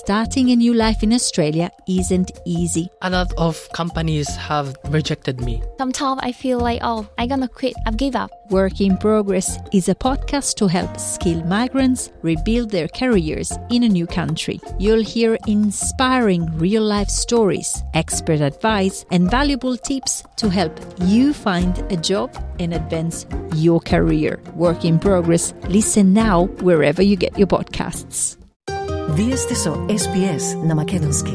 Starting a new life in Australia isn't easy. A lot of companies have rejected me. Sometimes I feel like, I'm gonna quit, I've give up. Work in Progress is a podcast to help skilled migrants rebuild their careers in a new country. You'll hear inspiring real-life stories, expert advice, and valuable tips to help you find a job and advance your career. Work in Progress. Listen now wherever you get your podcasts. Вие сте со SBS на Македонски.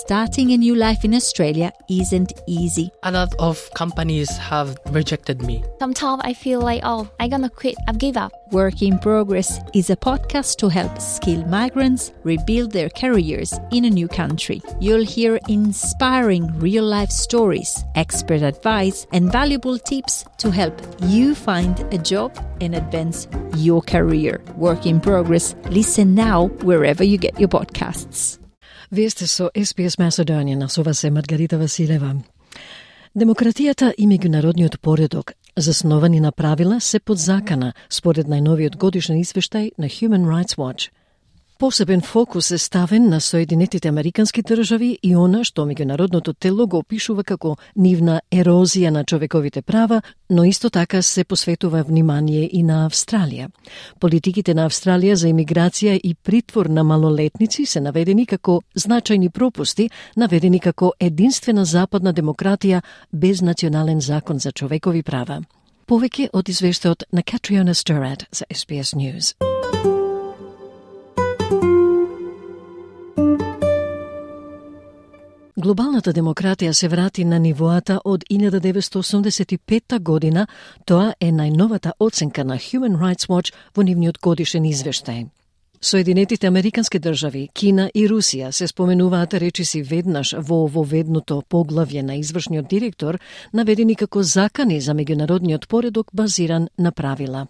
Starting a new life in Australia isn't easy. A lot of companies have rejected me. Sometimes I feel like, I'm gonna quit, I've give up. Work in Progress is a podcast to help skilled migrants rebuild their careers in a new country. You'll hear inspiring real-life stories, expert advice, and valuable tips to help you find a job and advance your career. Work in Progress. Listen now wherever you get your podcasts. Вие сте со SBS Macedonian, со вас е Маргарита Василева. Демократијата и меѓународниот поредок, засновани на правила, се под закана, според најновиот годишен извештај на Human Rights Watch. Посебен фокус е ставен на Соединетите Американски држави и она што меѓународното тело го опишува како нивна ерозија на човековите права, но исто така се посветува внимание и на Австралија. Политиките на Австралија за имиграција и притвор на малолетници се наведени како значајни пропусти, наведени како единствена западна демократија без национален закон за човекови права. Повеќе од извештајот на Catriona Sturrat за SBS News. Глобалната демократија се врати на нивоата од 1985 година, тоа е најновата оценка на Human Rights Watch во нивниот годишен извештај. Соединетите Американски држави, Кина и Русија се споменуваат речиси веднаш во ововедното поглавје на извршниот директор, наведени како закани за меѓународниот поредок базиран на правила.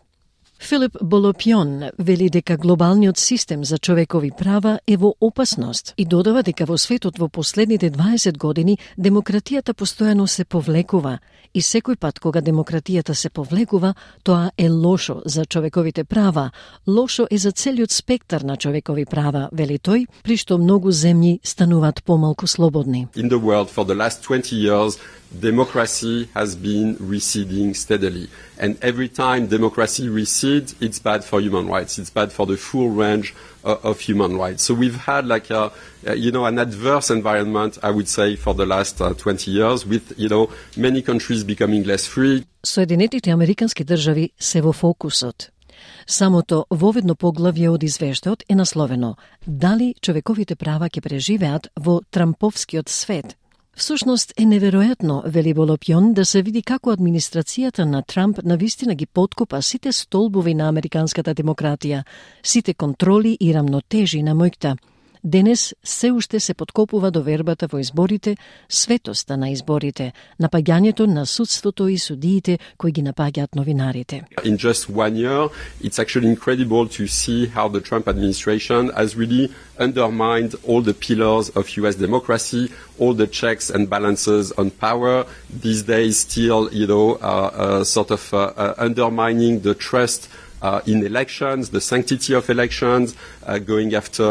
Филип Болопјон вели дека глобалниот систем за човекови права е во опасност и додава дека во светот во последните 20 години демократијата постојано се повлекува и секој пат кога демократијата се повлекува, тоа е лошо за човековите права, лошо е за целиот спектар на човекови права, вели тој, при што многу земји стануваат помалку слободни. In the world for the last 20 years, democracy has been receding steadily. And every time democracy recedes, it's bad for human rights. It's bad for the full range of human rights. So we've had like an adverse environment, I would say, for the last 20 years with, many countries becoming less free. Соединетите Американски држави се во фокусот. Самото воведно поглавје од извештајот е насловено «Дали човековите права ќе преживеат во трамповскиот свет?» Всушност е неверојатно, вели Болопјон, да се види како администрацијата на Трамп навистина ги поткопа сите столбови на американската демократија, сите контроли и рамнотежи на мојкта. Денес се уште се подкопува довербата во изборите, светоста на изборите, напаѓањето на судството и судиите кои ги напаѓаат новинарите. In just 1 year, it's actually incredible to see how the Trump administration has really undermined all the pillars of US democracy, all the checks and balances on power. These days still, undermining the trust in elections, the sanctity of elections, going after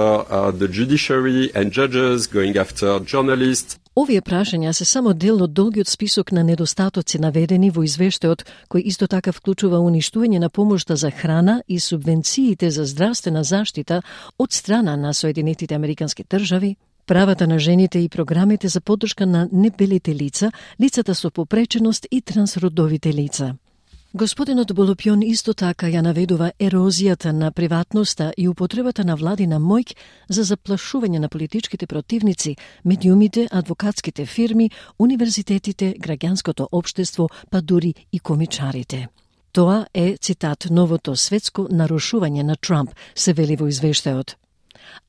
the judiciary and judges, going after journalists. Овие прашања се само дел од долгиот список на недостатоци наведени во извештајот, кој исто така вклучува уништување на помошта за храна и субвенциите за здравствена заштита од страна на Соединетите Американски држави, правата на жените и програмите за поддршка на небелите лица, лицата со попреченост и трансродовите лица. Господинот Болопјон исто така ја наведува ерозијата на приватноста и употребата на владина моќ за заплашување на политичките противници, медиумите, адвокатските фирми, универзитетите, граѓанското општество, па дури и комичарите. Тоа е, цитат, новото светско нарушување на Трамп, се вели во извештајот.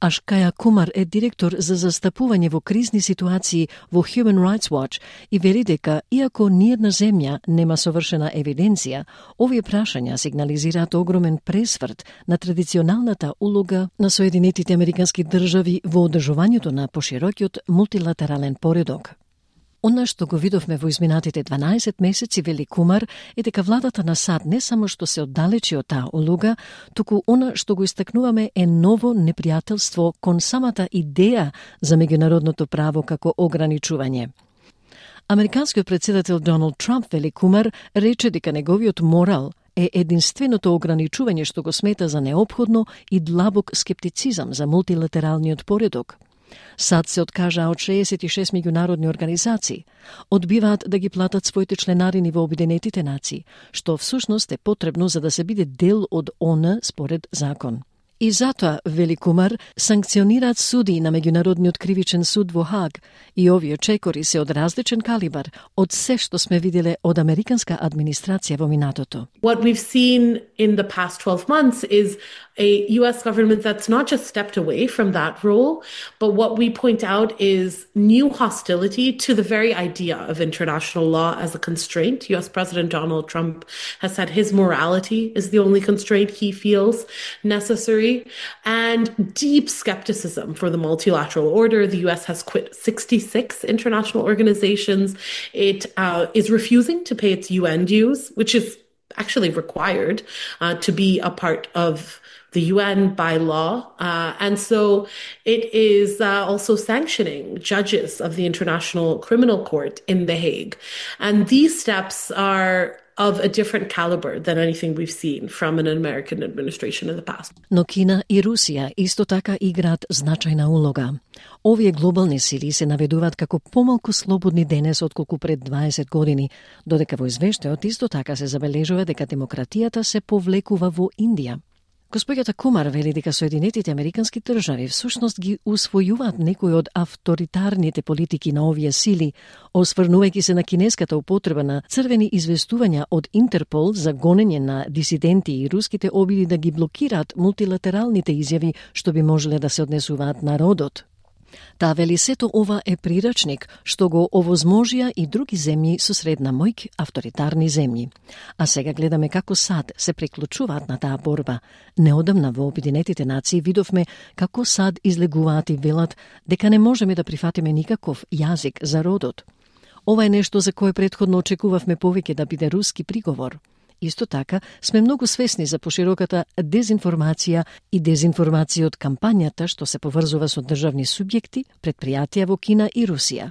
Ашкаја Кумар е директор за застапување во кризни ситуации во Human Rights Watch и вели дека, иако ниедна земја нема совршена евиденција, овие прашања сигнализираат огромен пресврт на традиционалната улога на Соединетите Американски држави во одржувањето на поширокиот мултилатерален поредок. Она што го видовме во изминатите 12 месеци, вели Кумар, е дека владата на САД не само што се оддалечи од таа улога, туку она што го истакнуваме е ново непријателство кон самата идеја за меѓународното право како ограничување. Американскиот председател Доналд Трамп, вели Кумар, рече дека неговиот морал е единственото ограничување што го смета за неопходно и длабок скептицизам за мултилатералниот поредок. САД се откажа од 66 меѓународни организации, одбиваат да ги платат своите членарини во Обединетите нации, што всушност е потребно за да се биде дел од ООН според закон. И затоа, вели Кумар, санкционираат суди на Меѓународниот кривичен суд во Хаг и овие чекори се од различен калибар од се што сме виделе од американска администрација во минатото. What we've seen in the past 12 months is a US government that's not just stepped away from that role, but what we point out is new hostility to the very idea of international law as a constraint. US President Donald Trump has said his morality is the only constraint he feels necessary, and deep skepticism for the multilateral order. The US has quit 66 international organizations. It is refusing to pay its UN dues, which is actually required to be a part of the UN by law. And so it is also sanctioning judges of the International Criminal Court in The Hague. And these steps are of a different caliber than anything we've seen from an American administration in the past. Но Кина и Русија исто така играат значајна улога. Овие глобални сили се наведуваат како помалку слободни денес отколку пред 20 години, додека во извештајот исто така се забележува дека демократијата се повлекува во Индија. Господјата Кумар вели дека Соединетите Американски држави всушност ги усвојуваат некои од авторитарните политики на овие сили, осврнувајќи се на кинеската употреба на црвени известувања од Интерпол за гонење на дисиденти и руските обиди да ги блокираат мултилатералните изјави што би можеле да се однесуваат на родот. Таа вели сето ова е прирачник што го овозможија и други земји со средна моќ, авторитарни земји. А сега гледаме како САД се приклучуваат на таа борба. Неодамна во Обединетите нации видовме како САД излегуваат и велат дека не можеме да прифатиме никаков јазик за родот. Ова е нешто за кое претходно очекувавме повеќе да биде руски приговор. Исто така, сме многу свесни за пошироката дезинформација и дезинформација од кампањата што се поврзува со државни субјекти, предпријатија во Кина и Русија.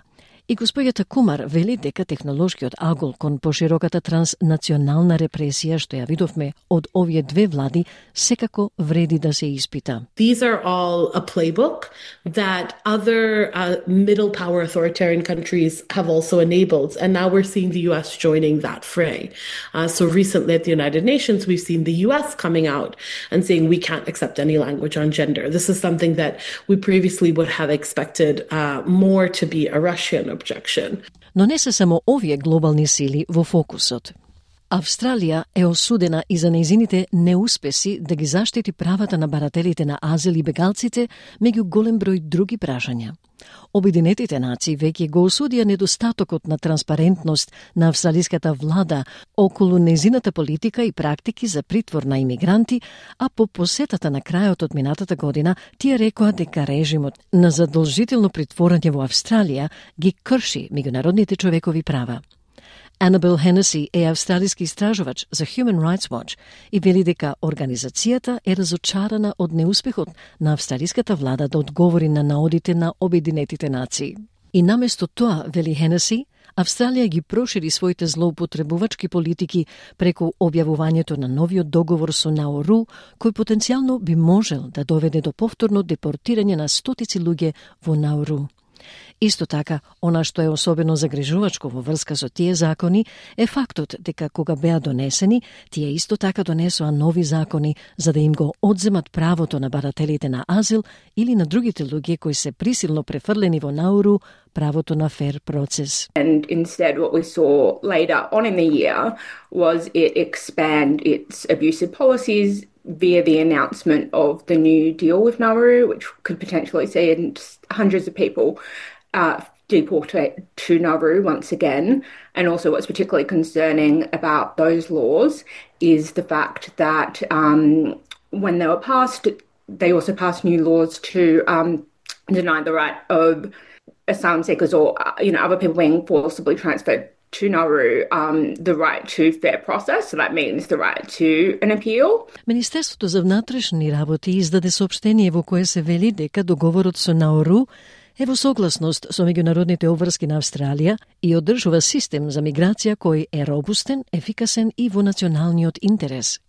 И господјата Кумар вели дека технолошкиот агол кон пошироката транснационална репресија што ја видовме од овие две влади секако вреди да се испита. These are all a playbook that other middle power authoritarian countries have also enabled, and now we're seeing the US joining that fray. So recently at the United Nations, we've seen the US coming out and saying we can't accept any language on gender. This is something that we previously would have expected more to be a Russian objection. Но не се само овие глобални сили во фокусот. Австралија е осудена и за нејзините неуспеси да ги заштити правата на барателите на азил и бегалците меѓу голем број други прашања. Обединетите нации веќе го осудија недостатокот на транспарентност на австралиската влада околу нејзината политика и практики за притвор на имигранти, а по посетата на крајот од минатата година тие рекоа дека режимот на задолжително притворање во Австралија ги крши меѓународните човекови права. Annabelle Hennessy е австралиски истражувач за Human Rights Watch и вели дека организацијата е разочарана од неуспехот на австралиската влада да одговори на наодите на Обединетите нации. И наместо тоа, вели Hennessy, Австралија ги прошири своите злоупотребувачки политики преку објавувањето на новиот договор со Науру, кој потенцијално би можел да доведе до повторно депортирање на стотици луѓе во Науру. Исто така, она што е особено загрижувачко во врска со тие закони е фактот дека кога беа донесени, тие исто така донесоа нови закони за да им го одземат правото на барателите на азил или на другите луѓе кои се присилно префрлени во Науру правото на фер процес. And instead what we saw later on in the year was it expand its abusive policies via the announcement of the new deal with Nauru, which could potentially see hundreds of people deported to Nauru once again. And also what's particularly concerning about those laws is the fact that when they were passed, they also passed new laws to deny the right of asylum seekers or other people being forcibly transferred to Nauru the right to fair process, so that means the right to an appeal. Министерството за внатрешни работи издаде соопштение во кое се вели дека договорот со Науру е во согласност со меѓународните обврски на Австралија и одржува систем за миграција кој е робустен, ефикасен и во националниот интерес.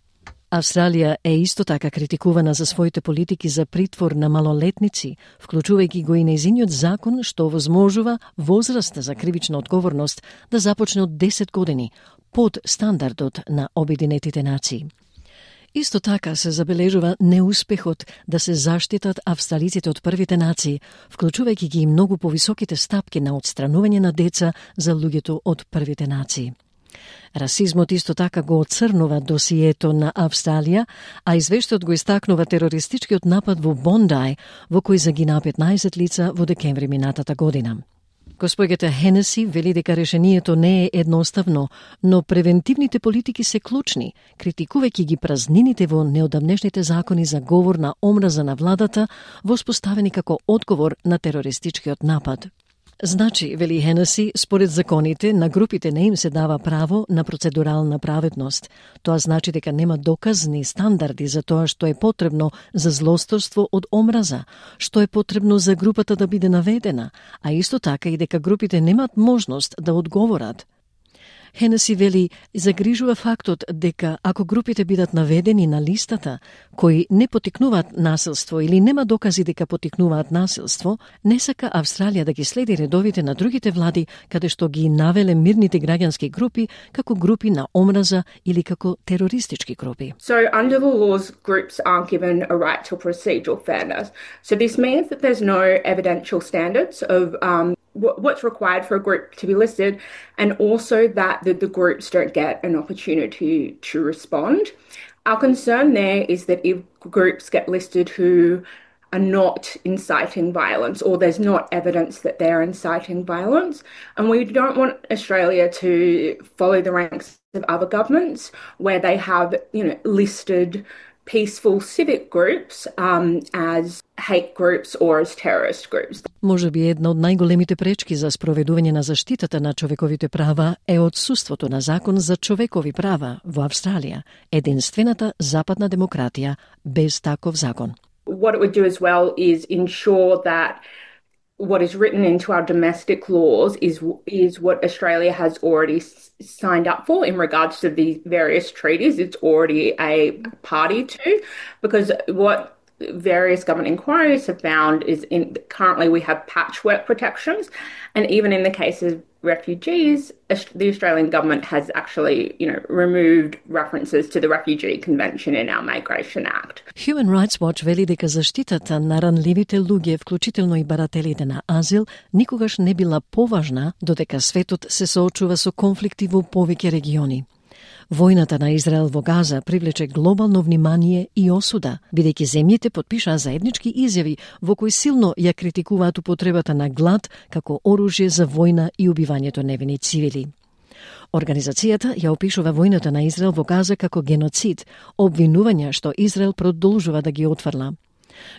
Австралија е исто така критикувана за своите политики за притвор на малолетници, вклучувајќи го и нејзиниот закон што овозможува возраста за кривична одговорност да започне од 10 години, под стандардот на Обединетите нации. Исто така се забележува неуспехот да се заштитат австралиците од првите нации, вклучувајќи ги и многу повисоките стапки на отстранување на деца за луѓето од првите нации. Расизмот исто така го оцрнува досието на Австралија, а извештајот го истакнува терористичкиот напад во Бондај, во кој загинаа 15 лица во декември минатата година. Госпоѓата Хенеси вели дека решението не е едноставно, но превентивните политики се клучни, критикувајќи ги празнините во неодамнешните закони за говор на омраза на владата, воспоставени како одговор на терористичкиот напад. Значи, вели Хенеси, според законите, на групите не им се дава право на процедурална праведност. Тоа значи дека нема доказни стандарди за тоа што е потребно за злосторство од омраза, што е потребно за групата да биде наведена, а исто така и дека групите немаат можност да одговорат. Хенеси вели, загрижува фактот дека ако групите бидат наведени на листата, кои не потикнуваат насилство или нема докази дека потикнуваат насилство, не сака Австралија да ги следи редовите на другите влади, каде што ги навеле мирните граѓански групи како групи на омраза или како терористички групи. So under the laws, groups aren't given a right to procedural fairness. So this means that there's no evidential standards of what's required for a group to be listed, and also that the groups don't get an opportunity to respond. Our concern there is that if groups get listed who are not inciting violence, or there's not evidence that they're inciting violence, and we don't want Australia to follow the ranks of other governments where they have, listed peaceful civic groups as hate groups or as terrorist groups. Може би една од најголемите пречки за спроведување на заштитата на човековите права е отсуството на закон за човекови права во Австралија, единствената западна демократија без таков закон. What it would do as well is ensure that what is written into our domestic laws is what Australia has already signed up for in regards to the various treaties it's already a party to, because what various government inquiries have found is currently we have patchwork protections, and even in the case of refugees, the Australian government has actually, removed references to the Refugee Convention in our Migration Act. Human Rights Watch вели дека заштитата на ранливите луѓе, вклучително и барателите на азил, никогаш не била поважна, додека светот се соочува со конфликти во повеќе региони. Војната на Израел во Газа привлече глобално внимание и осуда, бидејќи земјите потпишаа заеднички изјави во кои силно ја критикуваат употребата на глад како оружје за војна и убивањето невини цивили. Организацијата ја опишува војната на Израел во Газа како геноцид, обвинувања што Израел продолжува да ги отфрла.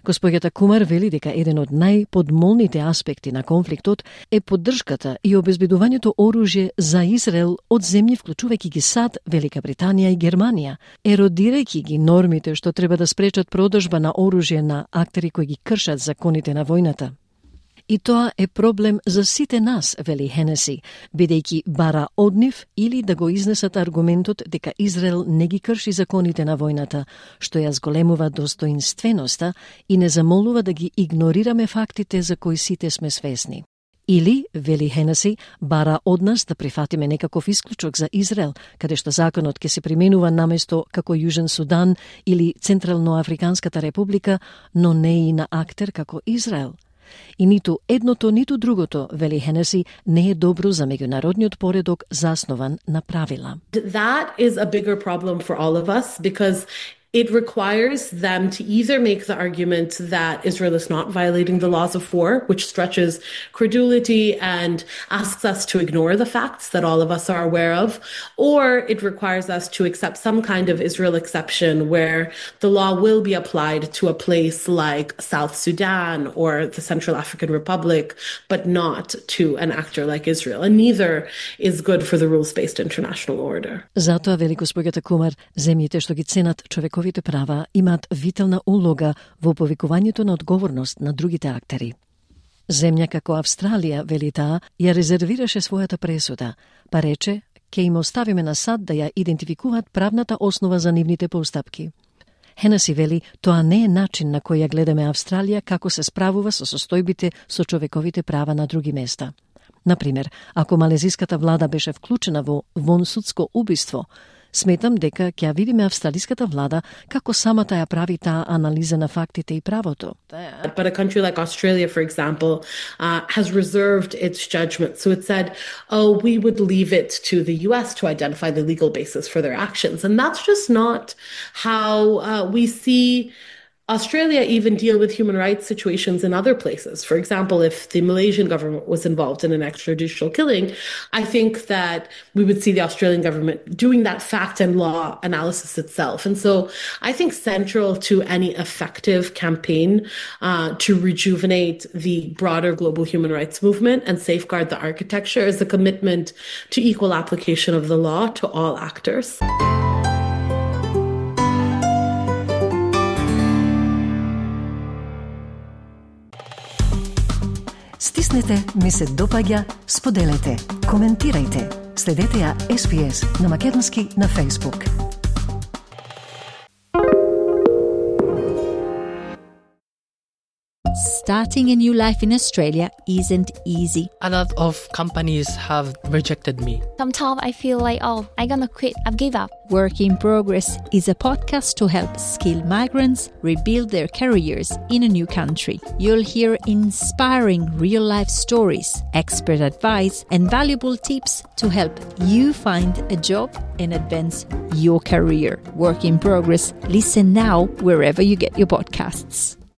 Господјата Кумар вели дека еден од најподмолните аспекти на конфликтот е поддршката и обезбедувањето оружје за Израел од земји вклучувајќи ги САД, Велика Британија и Германија, еродирајќи ги нормите што треба да спречат продажба на оружје на актери кои ги кршат законите на војната. И тоа е проблем за сите нас, вели Хенеси, бидејќи бара од нив или да го изнесат аргументот дека Израел не ги крши законите на војната, што ја зголемува достоинственоста и не замолува да ги игнорираме фактите за кои сите сме свесни. Или, вели Хенеси, бара од нас да прифатиме некаков исклучок за Израел, каде што законот ќе се применува наместо како Јужен Судан или Централноафриканската република, но не и на актер како Израел. И ниту едното, ниту другото, вели Хенеси, не е добро за меѓународниот поредок заснован на правила. That is a bigger problem for all of us because It requires them to either make the argument that Israel is not violating the laws of war, which stretches credulity and asks us to ignore the facts that all of us are aware of, or it requires us to accept some kind of Israel exception where the law will be applied to a place like South Sudan or the Central African Republic, but not to an actor like Israel. And neither is good for the rules-based international order. Затоа, вели госпоѓата Кумар, земјите што ги ценат човековите права имаат витална улога во повикувањето на одговорност на другите актери. Земја како Австралија, вели таа, ја резервираше својата пресуда, па рече, ќе им оставиме на САД да ја идентификуваат правната основа за нивните постапки. Хенеси вели, тоа не е начин на кој ја гледаме Австралија како се справува со состојбите со човековите права на други места. Например, ако малезиската влада беше вклучена во вонсудско убиство, сметам дека ќе видиме австралиската влада како самата ја прави таа анализа на фактите и правото. But a country like Australia, for example, has reserved its judgment. So it said, we would leave it to the US to identify the legal basis for their actions. And that's just not how we see Australia even deal with human rights situations in other places. For example, if the Malaysian government was involved in an extrajudicial killing, I think that we would see the Australian government doing that fact and law analysis itself. And so I think central to any effective campaign to rejuvenate the broader global human rights movement and safeguard the architecture is a commitment to equal application of the law to all actors. Стиснете, ми се допаѓа, споделете, коментирајте. Следете ја SPS на македонски на Facebook. Starting a new life in Australia isn't easy. A lot of companies have rejected me. Sometimes I feel like, I'm gonna quit, I've give up. Work in Progress is a podcast to help skilled migrants rebuild their careers in a new country. You'll hear inspiring real-life stories, expert advice, and valuable tips to help you find a job and advance your career. Work in Progress. Listen now wherever you get your podcasts.